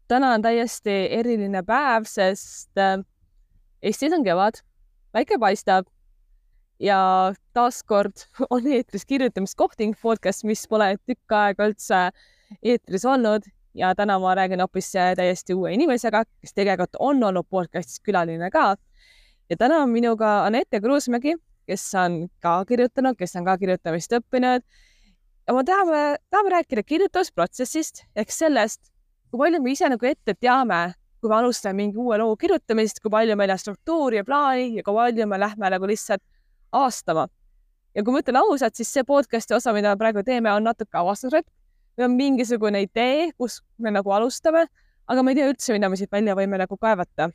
täna on täiesti eriline päev, sest Eestis on kevad, päike paistab ja taaskord on eetris kirjutamiskohting podcast, mis pole tükk aega üldse eetris olnud ja täna ma räägin hoopis täiesti uue inimesega, kes tegelikult on olnud podcastis külaline ka. Ja täna on minuga Anette Kruusmägi, kes on ka kirjutanud, kes on ka kirjutamist õppinud. Ja ma tahame rääkida kirjutusprotsessist ehk sellest, kui palju me ise ette teame, kui me alustame mingi uue loo kirjutamist, kui palju meil on struktuuri ja plaani ja kui palju me lähme lihtsalt avastama. Ja kui ma ütlen ausalt, siis see podcasti osa, mida me praegu teeme, on natuke avastusretk. Meil on mingisugune idee, kus me alustame, aga ma ei tea üldse, mida me siit välja võime kaevata.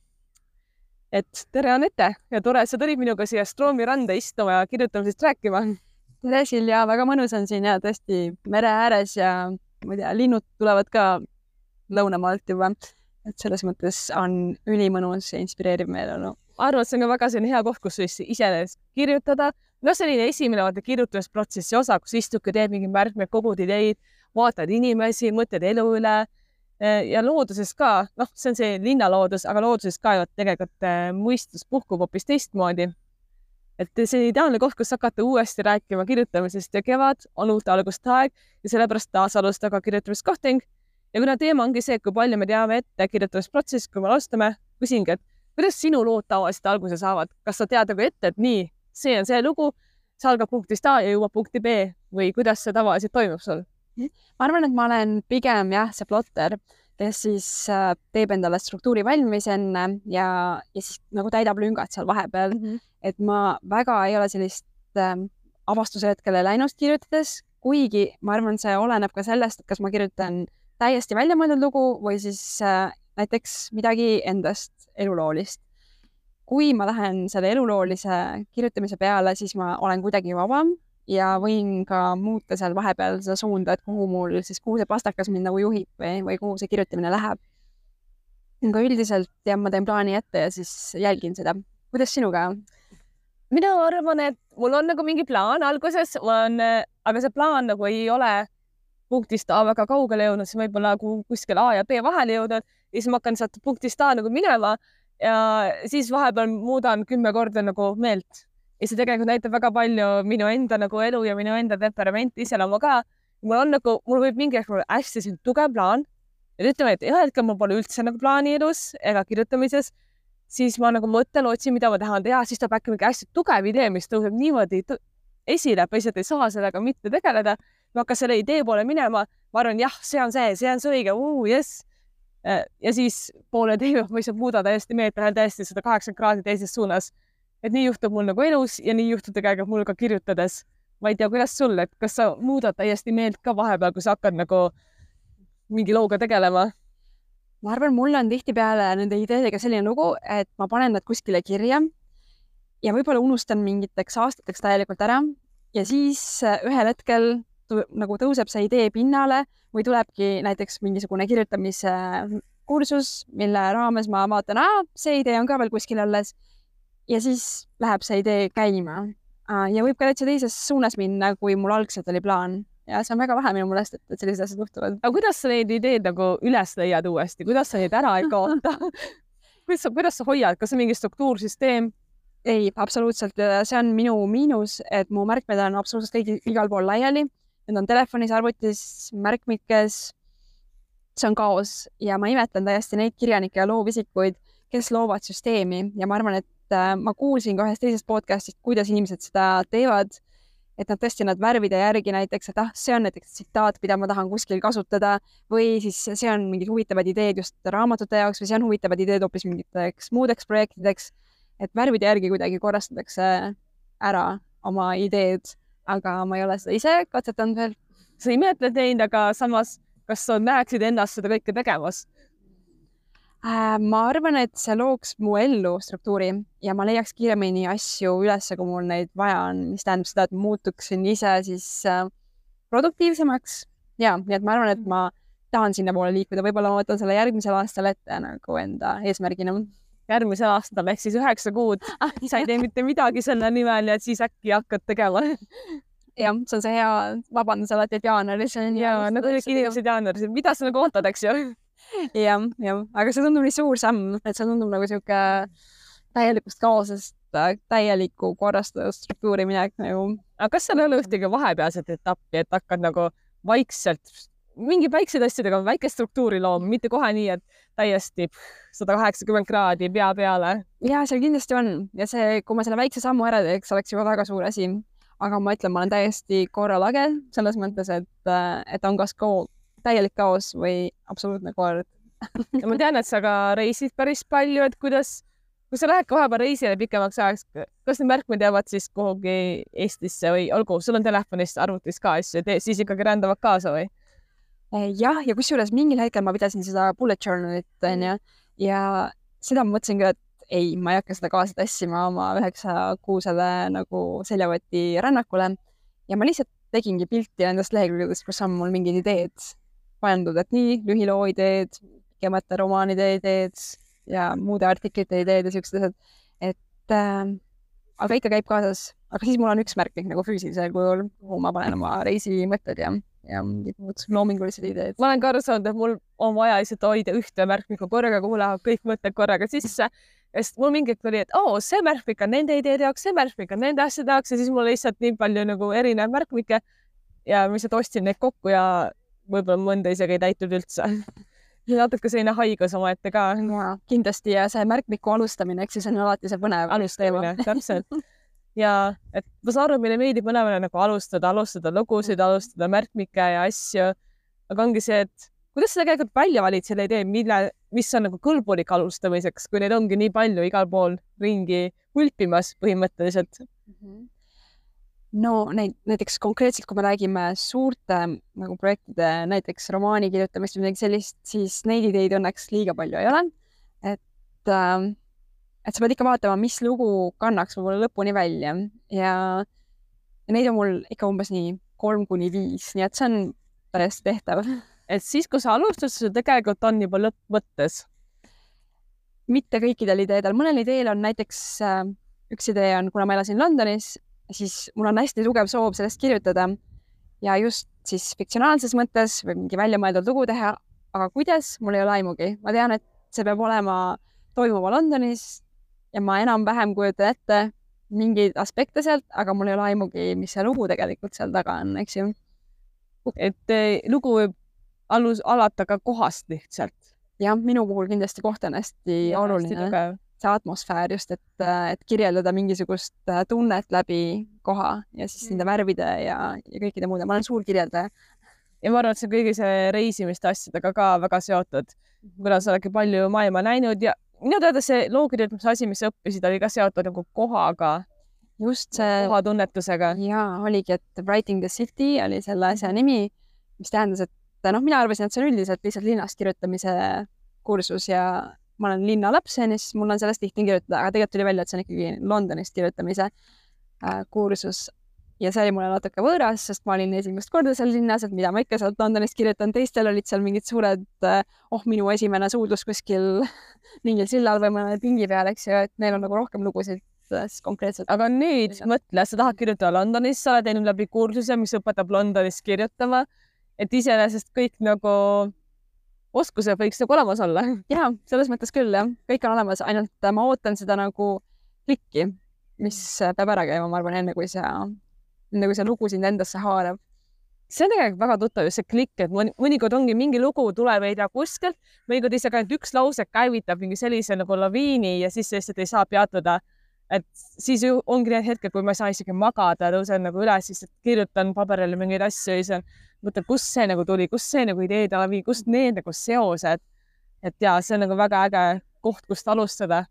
Et tere Anette ja tore, sa tulid minuga siia Stroomi randa istuma ja kirjutamisest rääkima. Tere Silja, väga mõnus on siin ja tõesti mere ääres ja ma ei tea, linnud tulevad ka lõunamaalt juba. Et selles mõttes on ülimõnus ja inspireeriv meeleolu. Arvan, et see on väga hea koht, kus ise kirjutada. Selline esimene kirjutamisprotsessi osa, kus istuke teeb mingi märkmed, kogud ideid, vaatad inimesi, mõtled elu üle ja looduses ka. See on see linnaloodus, aga looduses ka ju tegelikult mõistus puhkub hoopis teistmoodi. Et see ideaalne koht, kus hakata uuesti rääkima kirjutamisest ja kevad on uute alguste aeg ja sellepärast taas alustada ka kirjutamiskohting. Ja kuna teema ongi see, kui palju me teame ette kirjutamisprotsess, kui me alustame, küsingi, et kuidas sinu lood tavaliselt alguse saavad? Kas sa tead ette, et nii, see on see lugu, see algab punktist A ja jõuab punkti B või kuidas see tavaliselt toimub sul? Ma arvan, et ma olen pigem see plotter, kes siis teeb endale struktuuri valmis enne ja siis täidab lüngad seal vahepeal. Et ma väga ei ole sellist avastuse hetkele läinud kirjutades, kuigi ma arvan, see oleneb ka sellest, et kas ma kirjutan täiesti välja mõeldud lugu või siis näiteks midagi endast eluloolist. Kui ma lähen selle eluloolise kirjutamise peale, siis ma olen kuidagi vabam ja võin ka muuta seal vahepeal seda suunda, et kuhu see pastakas mind juhib või kuhu see kirjutamine läheb. Aga üldiselt ma teen plaani ette ja siis jälgin seda. Kuidas sinuga? Mina arvan, et mul on mingi plaan alguses, aga see plaan ei ole punktist A väga kaugele jõudnud, siis võib-olla kuskil A ja B vahele jõudnud ja siis ma hakkan sealt punktist A minema ja siis vahepeal muudan 10 korda meelt. Ja see tegelikult näitab väga palju minu enda elu ja minu enda temperamenti iseloomu ka. Mul võib mingi hästi tugev plaan ja ütleme, et ühel hetkel mul pole üldse plaani elus ega kirjutamises, siis ma mõtlen, otsin, mida ma tahan teha, siis tuleb äkki mingi hästi tugev idee, mis tõuseb niimoodi esile, lihtsalt ei saa sellega mitte tegeleda. Ma hakkan selle idee poole minema, ma arvan, jah, see on see õige, yes. Ja siis poole tee ma lihtsalt muuda täiesti meelt täiesti 180 kraadi teises suunas. Et nii juhtub mul elus ja nii juhtub tegelikult mul ka kirjutades. Ma ei tea, kuidas sul, et kas sa muudad täiesti meelt ka vahepeal, kui sa hakkad mingi looga tegelema? Ma arvan, mul on tihtipeale nende ideedega selline lugu, et ma panen nad kuskile kirja ja võib-olla unustan mingiteks aastateks täielikult ära ja siis ühel hetkel tõuseb see idee pinnale või tulebki näiteks mingisugune kirjutamise kursus, mille raames ma vaatan, see idee on ka veel kuskil alles ja siis läheb see idee käima. Ja võib ka täitsa teises suunas minna, kui mul algselt oli plaan. Ja see on väga vähe minu mõelest, et sellised asjad juhtuvad. Aga kuidas sa neid ideed üles leiad uuesti? Kuidas sa neid ära ei kaota? Kuidas sa hoiad? Kas see mingi struktuursüsteem? Ei, absoluutselt. See on minu miinus, et mu märkmed on absoluutselt igal pool laiali. Need on telefonis, arvutis, märkmikes. See on kaos ja ma imetlen täiesti neid kirjanikke ja loovisikuid, kes loovad süsteemi ja ma arvan, et ma kuulsin ka ühest teisest podcastist, kuidas inimesed seda teevad, et nad värvide järgi näiteks, et see on näiteks tsitaat, mida ma tahan kuskil kasutada või siis see on mingid huvitavad ideed just raamatute jaoks või see on huvitavad ideed hoopis mingiteks muudeks projektideks, et värvide järgi kuidagi korrastatakse ära oma ideed, aga ma ei ole seda ise katsetanud veel. Sa imetled neid, aga samas, kas sa näeksid ennast seda kõike tegemas? Ma arvan, et see looks mu ellu struktuuri ja ma leiaks kiiremini asju üles, kui mul neid vaja on, mis tähendab seda, et muutuksin ise siis produktiivsemaks. Ja, nii et ma arvan, et ma tahan sinna poole liikuda. Võib-olla ma võtan selle järgmisel aastal ette enda eesmärgina. Järgmisel aastal ehk siis 9 kuud. Sa ei tee mitte midagi selle nimel ja siis äkki hakkad tegema. Jah, see on see hea vabandus alati, et jaanuaris. Ja nagu inimesed jaanuaris, mida sa ootad, eks ju? jah, aga see tundub nii suur samm, et see tundub nagu sihuke täielikust kaosest täieliku korrastatud struktuuri minek nagu. aga kas seal ei ole ühtegi vahepealset etappi, et hakkad nagu vaikselt mingi väiksed asjadega väikest struktuuri looma, mitte kohe nii, et täiesti 180 kraadi pea peale? ja seal kindlasti on ja see, kui ma selle väikse sammu ära teeks, oleks juba väga suur asi. aga ma ütlen, ma olen täiesti korralage selles mõttes, et on kas täielik kaos või absoluutne kord. ja ma tean, et sa ka reisid päris palju, et kui sa lähed ka vahepeal reisile pikemaks ajaks, kas need märkmed jäävad siis kuhugi Eestisse või olgu, sul on telefonist, arvutis ka asju, siis ikkagi rändavad kaasa või? jah, ja kusjuures mingil hetkel ma pidasin seda bullet journalit, onju, ja seda ma mõtlesin ka, et ei, ma ei hakka seda kaasa tassima oma 9-kuusele nagu seljavõti rännakule ja ma lihtsalt tegingi pilti nendest lehekülgedest, kus on mul mingid ideed pandud, et nii lühiloo ideed, pikemate romaanide ideed ja muude artiklite ideed ja siuksed asjad, et aga ikka käib kaasas, aga siis mul on üks märkmik nagu füüsilisel kujul, kuhu ma panen oma reisimõtted ja mingid muud loomingulised ideed. ma olen ka aru saanud, et mul on vaja lihtsalt hoida ühte märkmikku korraga, kuhu lähevad kõik mõtted korraga sisse, sest mul mingi hetk oli, et see märkmik on nende ideede jaoks, see märkmik on nende asjade jaoks ja siis mul lihtsalt nii palju nagu erinevaid märkmikke ja ma lihtsalt ostsin neid kokku ja võib-olla mõnda isegi ei täitnud üldse. natuke selline haigus omaette ka. kindlasti ja see märkmiku alustamine, eks siis on alati see põnev. alustamine, täpselt. ja et ma saan aru, meile meeldib mõlemale nagu alustada lugusid, alustada märkmikke ja asju, aga ongi see, et kuidas sa tegelikult välja valid selle idee, mis on nagu kõlbulik alustamiseks, kui neid ongi nii palju igal pool ringi hulpimas põhimõtteliselt? no näiteks konkreetselt, kui me räägime suurte nagu projektide, näiteks romaani kirjutamist või midagi sellist, siis neid ideid õnneks liiga palju ei ole. Et sa pead ikka vaatama, mis lugu kannaks võib-olla lõpuni välja ja neid on mul ikka umbes nii 3-5, nii et see on täiesti tehtav. Et siis, kui sa alustad, sul tegelikult on juba lõpp mõttes? Mitte kõikidel ideedel. Mõnel ideel on näiteks, üks idee on, kuna ma elasin Londonis, siis mul on hästi tugev soov sellest kirjutada ja just siis fiktsionaalses mõttes või mingi väljamõeldud lugu teha, aga kuidas, mul ei ole aimugi. Ma tean, et see peab toimuma Londonis ja ma enam-vähem kujutan ette mingeid aspekte sealt, aga mul ei ole aimugi, mis see lugu tegelikult seal taga on, eks ju. Et lugu võib alata ka kohast lihtsalt. jah, minu puhul kindlasti koht on hästi oluline. See atmosfäär just, et kirjeldada mingisugust tunnet läbi koha ja siis nende värvide ja kõikide muude. Ma olen suur kirjeldaja. Ja ma arvan, et see kõigi see reisimiste asjadega ka väga seotud, kuna sa oledki palju maailma näinud ja minu teada see lookirjutamise asi, mis sa õppisid, oli ka seotud nagu kohaga. Just see kohatunnetusega. Jaa, oligi, et Writing the City oli selle asja nimi, mis tähendas, et mina arvasin, et see on üldiselt lihtsalt linnast kirjutamise kursus ja ma olen linnalaps ja siis mul on sellest lihtne kirjutada, aga tegelikult tuli välja, et see on ikkagi Londonist kirjutamise kursus ja see oli mulle natuke võõras, sest ma olin esimest korda seal linnas, et mida ma ikka sealt Londonist kirjutan, teistel olid seal mingid suured, minu esimene suudlus kuskil mingil sillal või mõne pingi peal, eks ju, et neil on nagu rohkem lugusid konkreetselt. Aga nüüd mõtle, sa tahad kirjutada Londonis, sa oled teinud läbi kursuse, mis õpetab Londonis kirjutama, et iseenesest kõik nagu oskused võiks nagu olemas olla. Jaa, selles mõttes küll, jah. Kõik on olemas, ainult ma ootan seda nagu klikki, mis peab ära käima, ma arvan, enne kui see lugu sind endasse haarab. See on tegelikult väga tuttav just see klikk, et mõnikord ongi mingi lugu tuleb ei tea kuskilt, mõnikord isegi ainult üks lause käivitab mingi sellise nagu laviini ja siis lihtsalt ei saa peatuda. Et siis ongi need hetkel, kui ma ei saa isegi magada, tõusen nagu üles, siis kirjutan paberile mingeid asju ja mõtlen, kus see nagu tuli, kus see nagu ideede lavi, kust need nagu seosed. Et jaa, see on nagu väga äge koht, kust alustada.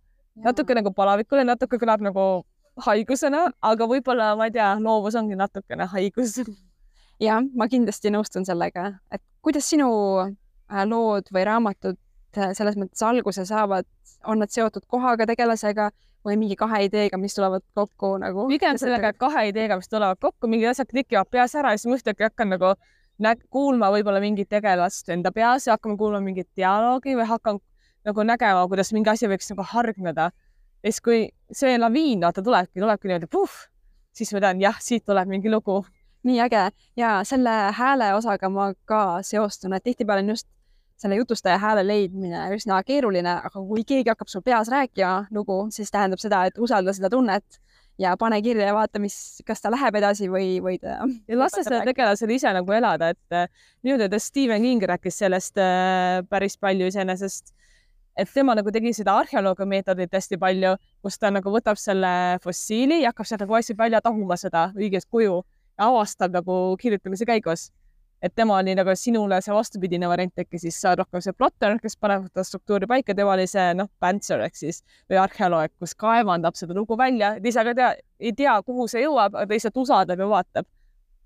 Natuke nagu palavikule, natuke kõlab nagu haigusena, aga võib-olla, ma ei tea, loovus ongi natukene haigus. Ja, ma kindlasti nõustun sellega, et kuidas sinu lood või raamatud selles mõttes alguse saavad, on nad seotud kohaga, tegelasega või mingi kahe ideega, mis tulevad kokku nagu? Pigem sellega kahe ideega, mis tulevad kokku, mingid asjad klikivad peas ära ja siis ma ühtlegi hakkan nagu kuulma võib-olla mingit tegelast enda peas ja hakkame kuulma mingit dialoogi või hakkan nagu nägema, kuidas mingi asi võiks nagu hargneda. Ja siis kui see laviin tulebki niimoodi, siis ma tean, jah, siit tuleb mingi lugu. Nii äge ja selle hääle osaga ma ka seostun, et tihtipeale on just selle jutustaja hääle leidmine üsna keeruline, aga kui keegi hakkab sul peas rääkima lugu, siis tähendab seda, et usalda seda tunnet ja pane kirja ja vaata, kas ta läheb edasi või ta... Ja lase seda tegelasel ise nagu elada, et minu teada Stephen King rääkis sellest päris palju iseenesest, et tema nagu tegi seda arheoloogia meetodit hästi palju, kus ta nagu võtab selle fossiili ja hakkab sealt nagu asju välja tahuma seda õiget kuju ja avastab nagu kirjutamise käigus. Et tema oli nagu sinule see vastupidine variant äkki siis saad rohkem see plotter, kes paneb seda struktuuri paika, tema oli see pantser ehk siis või arheoloog, kus kaevandab seda lugu välja, et ise ka ei tea, kuhu see jõuab, aga ta lihtsalt usaldab ja vaatab.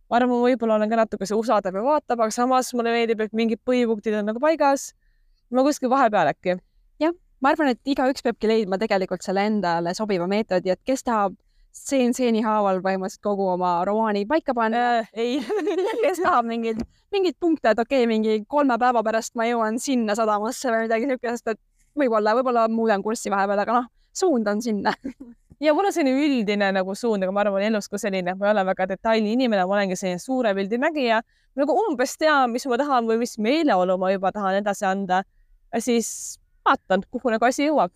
Ma arvan, ma võib-olla olen ka natuke see usaldab ja vaatab, aga samas mulle meeldib, et mingid põhipunktid on nagu paigas. Ma kuskil vahepeal äkki. Jah, ma arvan, et igaüks peabki leidma tegelikult selle endale sobiva meetodi, et kes tahab stseeni haaval põhimõtteliselt kogu oma romaani paika panna. Ei. Kes tahab mingid punkte, et okei, mingi 3 päeva pärast ma jõuan sinna sadamasse või midagi niisugust, et võib-olla muudan kurssi vahepeal, aga suund on sinna. Ja mul on selline üldine nagu suund, aga ma arvan, elus ka selline, ma ei ole väga detaili inimene, ma olengi selline suure pildi nägija. Nagu umbes tean, mis ma tahan või mis meeleolu ma juba tahan edasi anda. Ja siis vaatan, kuhu nagu asi jõuab.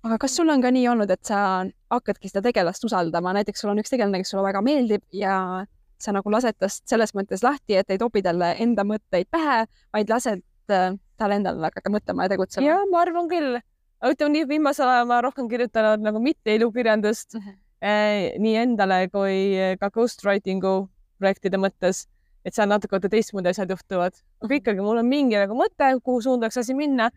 Aga kas sul on ka nii olnud, et sa hakkadki seda tegelast usaldama? Näiteks sul on üks tegelane, kes sulle väga meeldib ja sa nagu lased tast selles mõttes lahti, et ei topi talle enda mõtteid pähe, vaid lased talle endale hakata mõtlema ja tegutsema. Ja, ma arvan küll. Ütleme nii, viimasel ajal ma rohkem kirjutanud nagu mitte elukirjandust nii endale kui ka ghostwritingu projektide mõttes, et seal natuke teistmoodi asjad juhtuvad. Aga ikkagi mul on mingi nagu mõte, kuhu suundaks asi minna,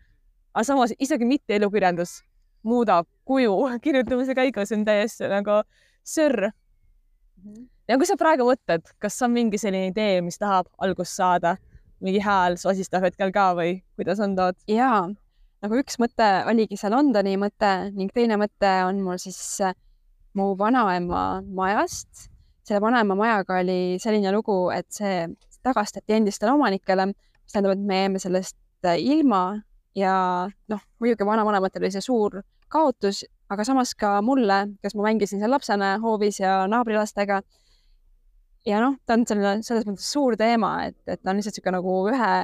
aga samas isegi mitte elukirjandus muudab kuju kirjutamise käigus on täiesti nagu sörr. Ja kui sa praegu mõtled, kas on mingi selline idee, mis tahab algust saada, mingi hääl sosistab hetkel ka või kuidas on tood? Jaa, nagu üks mõte oligi see Londoni mõte ning teine mõte on mul siis mu vanaema majast. Selle vanaema majaga oli selline lugu, et see tagastati endistele omanikele, mis tähendab, et me jäime sellest ilma ja muidugi vanavanematele oli see suur kaotus, aga samas ka mulle, kes ma mängisin seal lapsena hoovis ja naabrilastega. Ja ta on selles mõttes suur teema, et ta on lihtsalt siuke nagu ühe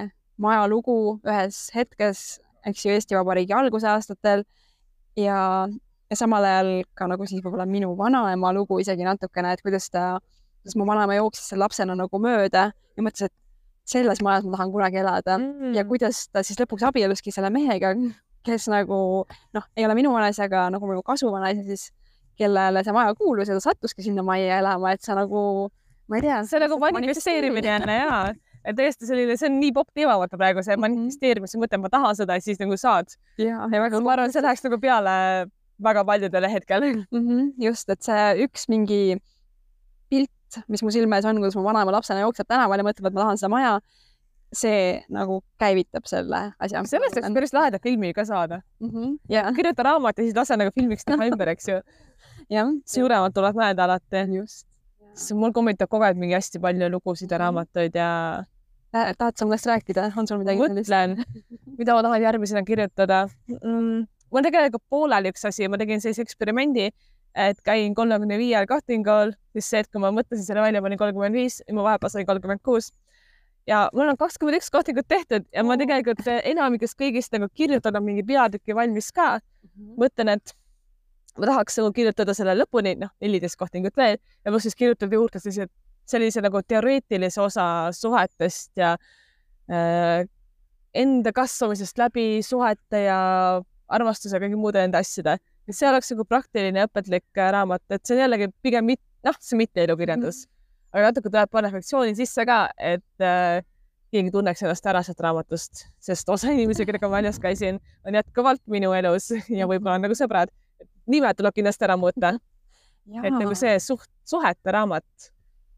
maja lugu ühes hetkes, eks ju Eesti Vabariigi alguse aastatel ja samal ajal ka nagu siis võib-olla minu vanaema lugu isegi natukene, et kuidas mu vanaema jooksis seal lapsena nagu mööda ja mõtles, et selles majas ma tahan kunagi elada ja kuidas ta siis lõpuks abieluski selle mehega, kes nagu ei ole minu vanaisa, aga nagu minu kasuvanaisa siis, kellele see maja kuulus ja ta sattuski sinna majja elama, et sa nagu, ma ei tea. See nagu manifesteerimine jälle, jaa. Et tõesti selline, see on nii popp teema vaata praegu, see manifesteerimise mõte, ma tahan seda ja siis nagu saad. Ja väga ma arvan, see läheks nagu peale väga paljudele hetkel. Just, et see üks mingi pilt, mis mu silme ees on, kuidas mu vanaema lapsena jookseb tänaval ja mõtleb, et ma tahan seda maja, see nagu käivitab selle asja. Sellest oleks päris laheda filmi ka saada. Kirjuta raamat ja siis lase nagu filmiks teha ümber, eks ju. Suuremalt tuleb näeda alati. Just. Mul kommentab kogu aeg mingi hästi palju lugusid ja raamatuid ja... Tahad sa mõnest rääkida? On sul midagi? Mõtlen, mida ma tahan järgmisena kirjutada. Mul tegelikult pooleli üks asi, ma tegin sellise eksperimendi, et käin 35 kohtingul, siis see, et kui ma mõtlesin selle välja, ma olin 35 ja ma vahepeal sain 36. Ja mul on 21 kohtingut tehtud ja ma tegelikult enamikest kõigist nagu kirjutada mingi peatüki valmis ka. Mõtlen, et ma tahaks kirjutada selle lõpuni, 14 kohtingut veel ja pluss siis kirjutada juurde sellise nagu teoreetilise osa suhetest ja enda kasvamisest läbi suhete ja armastuse ja kõigi muude enda asjade. See oleks nagu praktiline õpetlik raamat, et see on jällegi pigem see mitte elukirjandus. Aga natuke tuleb panna reflektsiooni sisse ka, et keegi tunneks ennast ära sealt raamatust, sest osa inimesi, kellega ma väljas käisin, on jätkuvalt minu elus ja võib-olla on nagu sõbrad. Nimed tuleb kindlasti ära muuta. Et nagu see suhete raamat.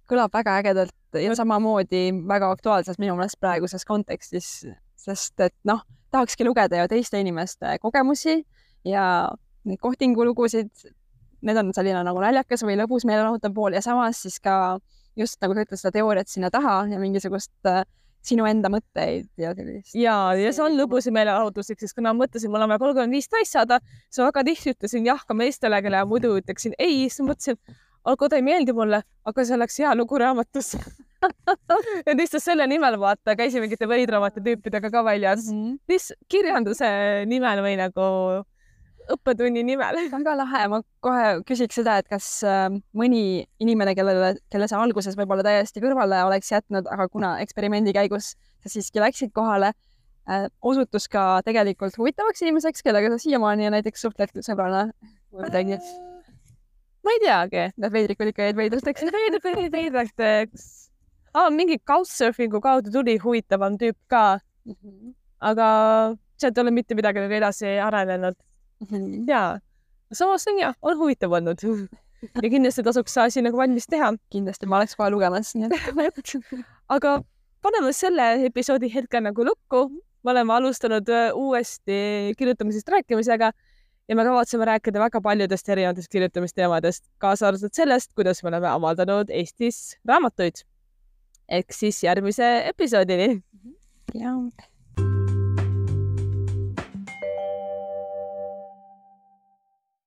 Kõlab väga ägedalt ja samamoodi väga aktuaalses minu meelest praeguses kontekstis, sest et tahakski lugeda ju teiste inimeste kogemusi ja neid kohtingulugusid, need on selline nagu naljakas või lõbus meelelahutav pool ja samas siis ka just nagu sa ütled seda teooriat sinna taha ja mingisugust sinu enda mõtteid ja sellist. Ja see on lõbus ja meelelahutuslik, sest kuna ma mõtlesin, mul on vaja 35 täis saada, siis väga tihti ütlesin jah ka meestele, kelle muidu ütleksin ei, siis mõtlesin, aga ta ei meeldi mulle, aga see oleks hea lugu raamatus. ja lihtsalt selle nimel vaata, käisin mingite veidramate tüüpidega ka väljas. Kirjanduse nimel või nagu õppetunni nimel. Väga lahe, ma kohe küsiks seda, et kas mõni inimene, kelle sa alguses võib-olla täiesti kõrvale oleks jätnud, aga kuna eksperimendi käigus sa siiski läksid kohale, osutus ka tegelikult huvitavaks inimeseks, kellega sa siiamaani näiteks suhtled sõbrana või midagi? Ma ei teagi. Need veidrikud ikka jäid veidrateks. Veidrateks. Mingi couchsurfingu kaudu tuli huvitavam tüüp ka, aga sealt ei ole mitte midagi edasi arenenud. Jaa, samas on huvitav olnud ja kindlasti tasuks asi nagu valmis teha. Kindlasti ma oleks kohe lugemas. Aga paneme selle episoodi hetkel nagu lukku. Me oleme alustanud uuesti kirjutamisest rääkimisega ja me kavatseme rääkida väga paljudest erinevatest kirjutamisteemadest, kaasa arvatud sellest, kuidas me oleme avaldanud Eestis raamatuid. Ehk siis järgmise episoodini. Jaa.